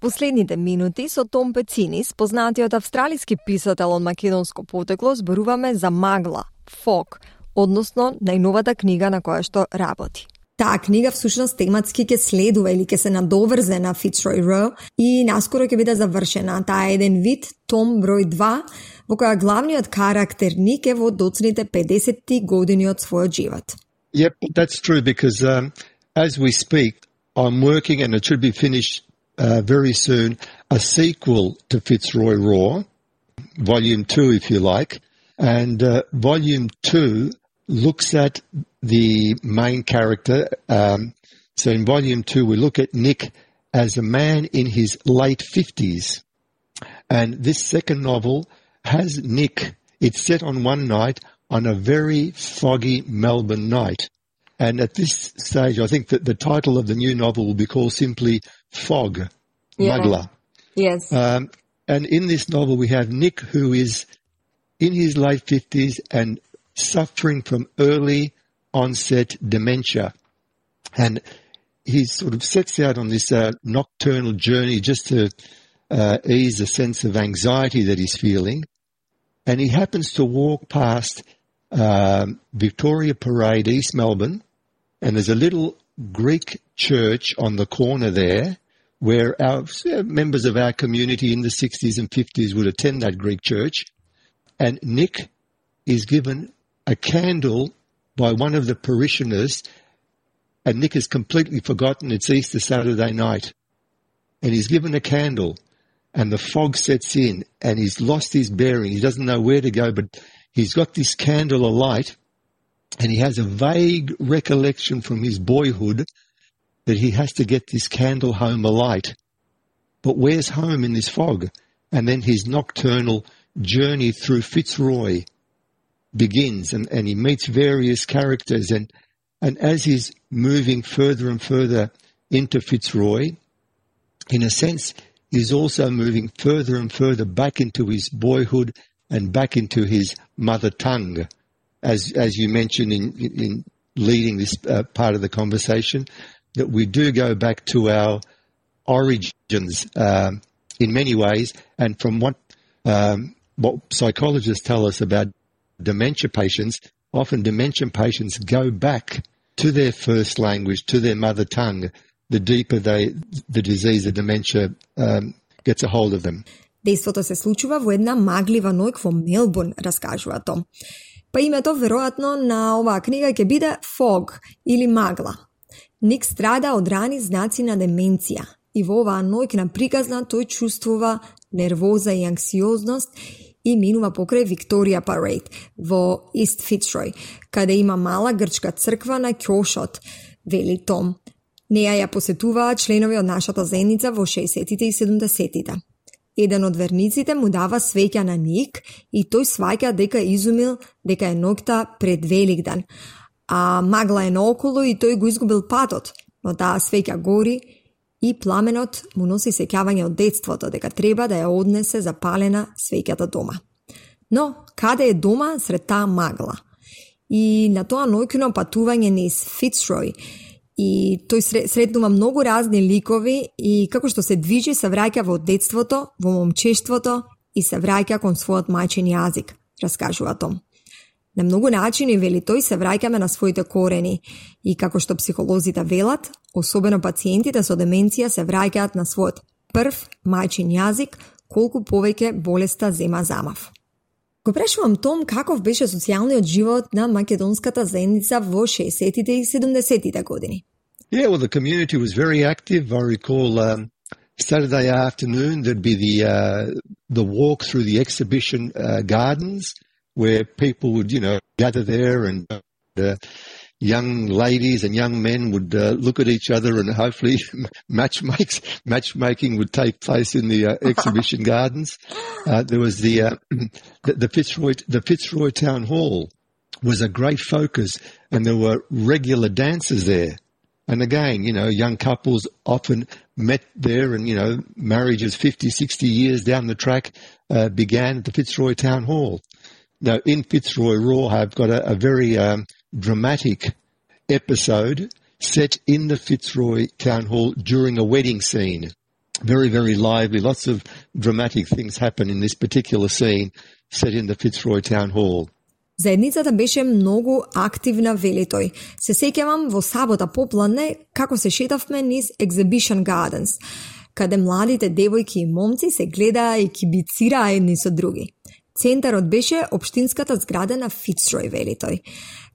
Последните минути со Том Пецинис, познатиот австралиски писател од македонско потекло, зборуваме за Магла, Фог, односно најновата книга на која што работи. Таа книга всушност тематски ќе следува или ќе се надоврзе на Фицрой Ро и наскоро ќе биде завршена. Таа е еден вид том број два во која главниот карактерник е во доцните педесетти години од својот живот. Yep, that's true because um, as we speak, I'm working and it should be finished Uh, very soon, a sequel to Fitzroy Raw, Volume two, if you like. And uh, Volume two looks at the main character. Um, so in Volume two, we look at Nick as a man in his late fifties. And this second novel has Nick. It's set on one night on a very foggy Melbourne night. And at this stage, I think that the title of the new novel will be called simply Fog, yeah. Magla. Yes. Um, and in this novel, we have Nick, who is in his late fifties and suffering from early onset dementia. And he sort of sets out on this uh, nocturnal journey just to uh, ease a sense of anxiety that he's feeling. And he happens to walk past um, Victoria Parade, East Melbourne, and there's a little Greek church on the corner there where our uh, members of our community in the sixties and fifties would attend that Greek church. And Nick is given a candle by one of the parishioners, and Nick has completely forgotten it's Easter Saturday night. And he's given a candle, and the fog sets in, and he's lost his bearing. He doesn't know where to go, but he's got this candle alight, and he has a vague recollection from his boyhood that he has to get this candle home alight. But where's home in this fog? And then his nocturnal journey through Fitzroy begins, and, and he meets various characters, and and as he's moving further and further into Fitzroy, in a sense, he's also moving further and further back into his boyhood and back into his mother tongue, as as you mentioned in, in leading this uh, part of the conversation, that we do go back to our origins um, in many ways, and from what um, what psychologists tell us about dementia patients, often dementia patients go back to their first language, to their mother tongue, the deeper they, the disease of dementia um, gets a hold of them. Дејството се случува во една маглива ноќ во Мелбурн, раскажува Том. Па името веројатно на оваа книга ќе биде Fog или Магла. Ник страда од рани знаци на деменција и во оваа ноќна приказна тој чувствува нервоза и анксиозност и минува покрај Викторија Парейд во Ист Фицрой, каде има мала грчка црква на ќошот, вели Том. Неја ја посетуваа членови од нашата заедница во шеесеттите и седумдесеттите. Еден од верниците му дава свеќа на Ник и тој сваќа дека изумил дека е ноќта пред Великден, а магла е наоколу и тој го изгубил патот, но таа свеќа гори и пламенот му носи сеќавање од детството дека треба да ја однесе запалена свеќата дома. Но, каде е дома сред таа магла? И на тоа ноќно патување низ Фицрой, и тој сретнува многу разни ликови и како што се движи се враќа во детството, во момчештвото и се враќа кон својот мајчин јазик, раскажува Том. На многу начини, вели тој, се враќаме на своите корени и како што психолозите велат, особено пациентите со деменција се враќаат на својот прв мајчин јазик колку повеќе болеста зема замав. Го прашувам Том каков беше социјалниот живот на македонската заедница во шеесеттите и седумдесеттите години. Yeah, well, the community was very active. I recall um, Saturday afternoon there'd be the uh, the walk through the exhibition uh, gardens where people would, you know, gather there, and uh, young ladies and young men would uh, look at each other, and hopefully matchmakes, matchmaking would take place in the uh, exhibition gardens. Uh, there was the, uh, the the Fitzroy the Fitzroy Town Hall was a great focus, and there were regular dances there. And again, you know, young couples often met there, and, you know, marriages fifty, sixty years down the track uh, began at the Fitzroy Town Hall. Now, in Fitzroy Raw, I've got a, a very um, dramatic episode set in the Fitzroy Town Hall during a wedding scene. Very, very lively. Lots of dramatic things happen in this particular scene set in the Fitzroy Town Hall. Заедницата беше многу активна, вели тој. Се сеќавам во сабота попладне како се шетавме низ Exhibition Gardens, каде младите девојки и момци се гледаа и кибицираа едни со други. Центарот беше општинската зграда на Фицрой, вели тој,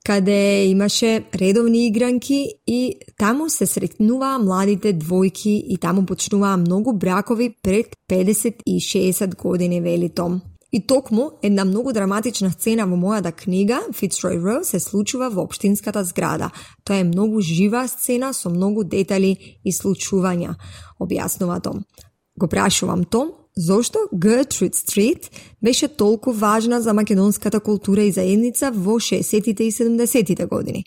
каде имаше редовни игранки и таму се сретнуваа младите двојки и таму почнуваа многу бракови пред педесет и шеесет години, вели Том. И токму една многу драматична сцена во мојата книга Fitzroy Row се случува во општинската зграда. Тоа е многу жива сцена со многу детали и случувања, објаснува Том. Го прашувам Том зошто Gertrude Street беше толку важна за македонската култура и заедница во шеесеттите и седумдесеттите години.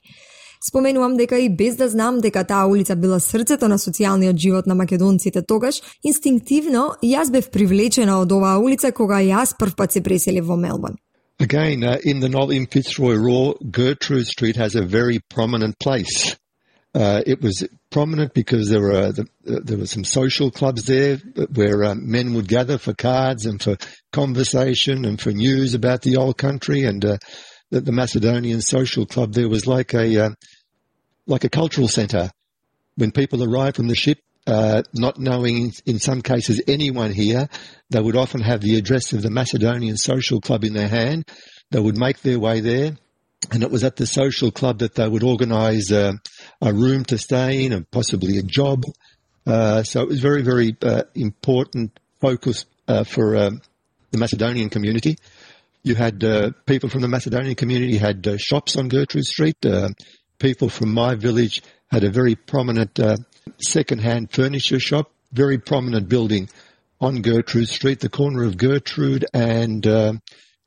Споменувам дека и без да знам дека таа улица била срцето на социјалниот живот на македонците тогаш, инстинктивно јас бев привлечена од оваа улица кога јас првпат се преселив во Мелбурн. Again, uh, in the novel in Fitzroy Raw, Gertrude Street has a very prominent place. Uh, it was prominent because there were the, uh, there were some social clubs there where um, men would gather for cards and for conversation and for news about the old country. And uh, the, the Macedonian Social Club there was like a uh, like a cultural centre. When people arrived from the ship, uh, not knowing in some cases anyone here, they would often have the address of the Macedonian Social Club in their hand. They would make their way there. And it was at the social club that they would organise uh, a room to stay in and possibly a job. Uh, so it was very, very uh, important focus uh, for um, the Macedonian community. You had uh, people from the Macedonian community had uh, shops on Gertrude Street. Uh, people from my village had a very prominent uh, second-hand furniture shop, very prominent building on Gertrude Street, the corner of Gertrude and uh,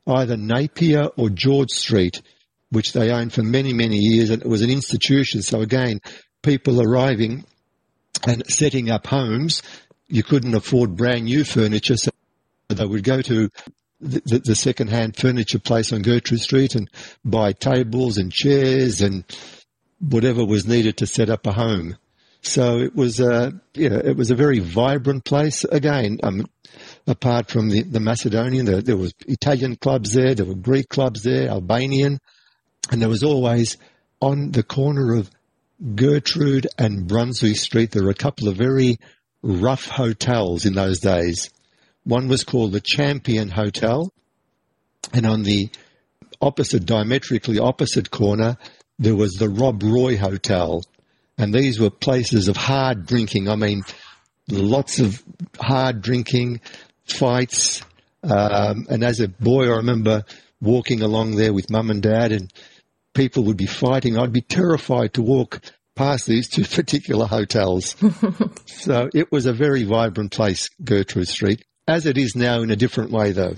either Napier or George Street, which they owned for many, many years, and it was an institution. So again, people arriving and setting up homes, you couldn't afford brand new furniture, so they would go to the, the, the second-hand furniture place on Gertrude Street and buy tables and chairs and whatever was needed to set up a home. So it was a, you know, it was a very vibrant place. Again, um, apart from the, the Macedonian, there, there was Italian clubs there, there were Greek clubs there, Albanian. And there was always, on the corner of Gertrude and Brunswick Street, there were a couple of very rough hotels in those days. One was called the Champion Hotel, and on the opposite, diametrically opposite corner, there was the Rob Roy Hotel. And these were places of hard drinking. I mean, lots of hard drinking, fights. Um, and as a boy, I remember walking along there with mum and dad, and people would be fighting. I'd be terrified to walk past these two particular hotels. So it was a very vibrant place, Gertrude Street, as it is now in a different way though.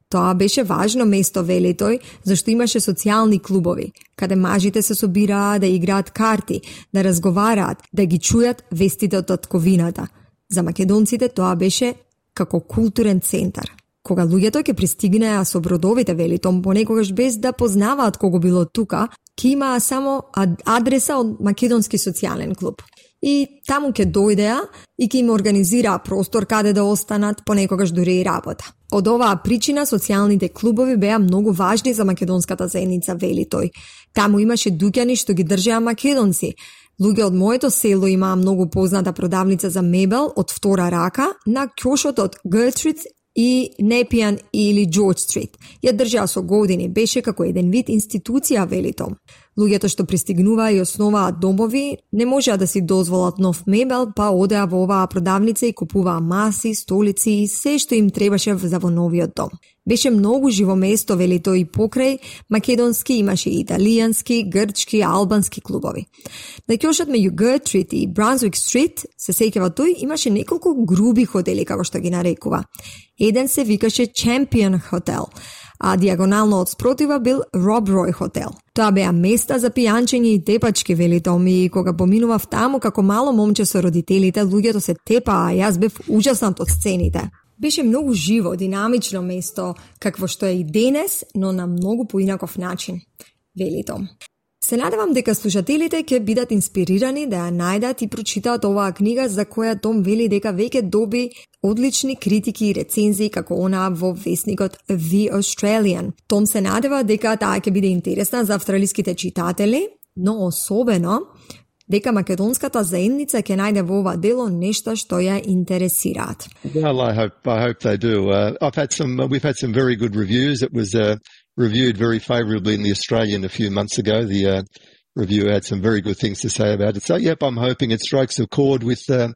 Тоа беше важно место, вели тој, зашто имаше социјални клубови, каде мажите се собираа да играат карти, да разговараат, да ги чујат вестите од татковината. За македонците тоа беше како културен центар. Кога луѓето ќе пристигнеа со бродовите, вели Том, понекогаш без да познаваат кого било тука, ќе имаа само адреса од македонски социјален клуб. И таму ќе дојдеа и ќе им организираа простор каде да останат, понекогаш дури и работа. Од оваа причина социјалните клубови беа многу важни за македонската заедница, вели тој. Таму имаше дуќани што ги држеа македонци. Луѓе од моето село имаа многу позната продавница за мебел од втора рака на ќошот од Gertrude и Nepean или George Street. Ја држаа со години, беше како еден вид институција, вели Том. Луѓето што пристигнуваа и основаат домови не можеа да си дозволат нов мебел, па одеа во оваа продавница и купуваа маси, столици и се што им требаше за во новиот дом. Беше многу живо место, вели тој, и покрај македонски имаше и италијански, грчки, албански клубови. На ќошот меѓу Gertrude и Brunswick Street, се сеќава тој, имаше неколку груби хотели, како што ги нарекува. Еден се викаше Champion Hotel, а диагонално од спротива бил Rob Roy Hotel. Тоа беа места за пијанчење и тепачки, вели Том, и кога поминував таму како мало момче со родителите, луѓето се тепаа, а јас бев ужаснат од сцените. Беше многу живо, динамично место, какво што е и денес, но на многу поинаков начин, вели Том. Се надевам дека слушателите ќе бидат инспирирани да ја најдат и прочитаат оваа книга за која Том вели дека веќе доби одлични критики и рецензии како онаа во весникот The Australian. Том се надева дека таа ќе биде интересна за австралиските читатели, но особено дека македонската заедница ќе најде во ова дело нешто што ја интересираат. Well, I hope I hope they do. Uh, I've had some. Uh, we've had some very good reviews. It was uh, reviewed very favourably in the Australian a few months ago. The uh, reviewer had some very good things to say about it. So, yep, I'm hoping it strikes a chord with uh,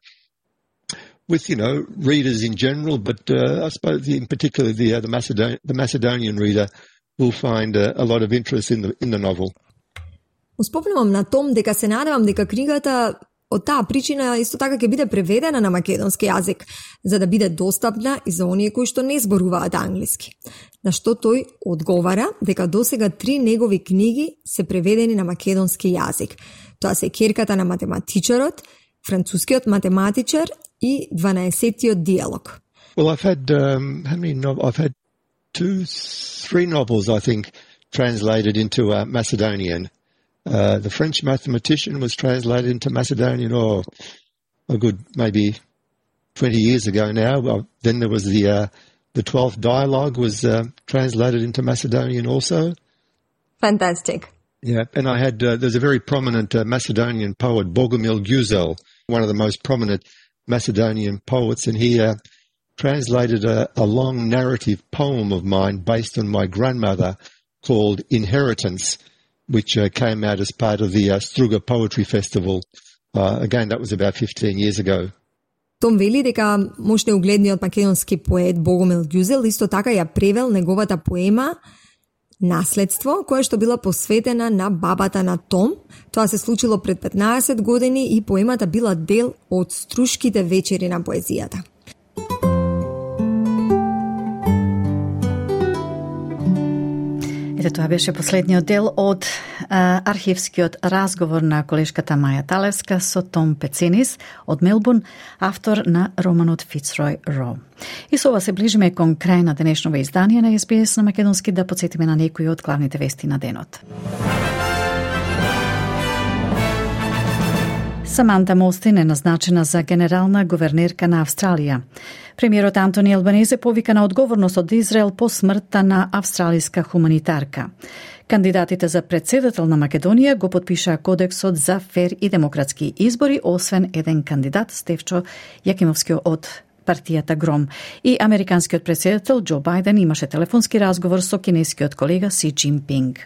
with you know readers in general, but uh, I suppose in particular the uh, the Macedonian the Macedonian reader will find uh, a lot of interest in the in the novel. Успомнувам на Том дека се надевам дека книгата Од таа причина исто така ќе биде преведена на македонски јазик, за да биде достапна и за оние кои што не зборуваат англиски. На што тој одговара дека досега три негови книги се преведени на македонски јазик. Тоа се Керката на математичарот, Францускиот математичар и дванаесеттиот диалог. Well, I've had um, how many no- I've had two, three novels, I think, translated into uh, Macedonian. Uh, the French Mathematician was translated into Macedonian, or a good maybe twenty years ago now. Well, then there was the uh, the twelfth Dialogue was uh, translated into Macedonian also. Fantastic. Yeah, and I had uh, there's a very prominent uh, Macedonian poet, Bogomil Guzel, one of the most prominent Macedonian poets, and he uh, translated a, a long narrative poem of mine based on my grandmother called Inheritance, which uh, came out as part of the uh, Struga Poetry Festival. Uh, again, that was about fifteen years ago. Том вели дека можете угледниот македонски поет Богомил Ѓузел исто така ја превел неговата поема Наследство, која што била посветена на бабата на Том. Тоа се случило пред петнаесет години и поемата била дел од Струшките вечери на поезијата. Ете, тоа беше последниот дел од а, архивскиот разговор на колешката Маја Талевска со Том Пецинис од Мелбурн, автор на романот Фицрой Ро. И со ова се ближиме кон крај на денешново издание на Ес Би Ес на македонски, да подсетиме на некои од главните вести на денот. Саманта Мостин е назначена за генерална гувернерка на Австралија. Премиерот Антони Албанезе повика на одговорност од Израел по смртта на австралиска хуманитарка. Кандидатите за председател на Македонија го подпишаа кодексот за фер и демократски избори, освен еден кандидат, Стефчо Јакимовски од партијата Гром. И американскиот председател Џо Бајден имаше телефонски разговор со кинескиот колега Си Џинпинг.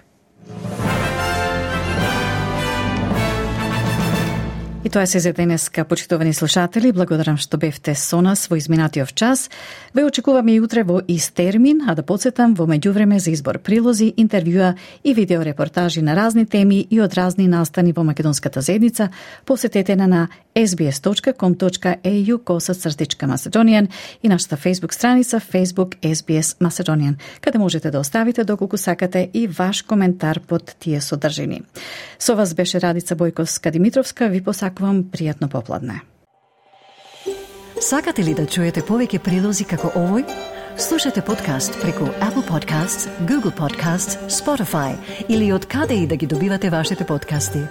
И тоа се за денеска, почитувани слушатели. Благодарам што бевте со нас во изминатиот час. Ве очекуваме и утре во ист термин, а да подсетам во меѓувреме за избор прилози, интервјуа и видеорепортажи на разни теми и од разни настани во македонската заедница. Посетете на на ес би ес точка ком точка ей ю косацртичка Macedonian и нашата Facebook страница Facebook Ес Би Ес Macedonian, каде можете да оставите доколку сакате и ваш коментар под тие содржини. Со вас беше Радица Бојковска-Димитровска. Ви посакувам пријатно попладне. Сакате ли да чуете повеќе прилози како овој? Слушате подкаст преку Apple Podcasts, Google Podcasts, Spotify или од каде и да ги добивате вашите подкасти.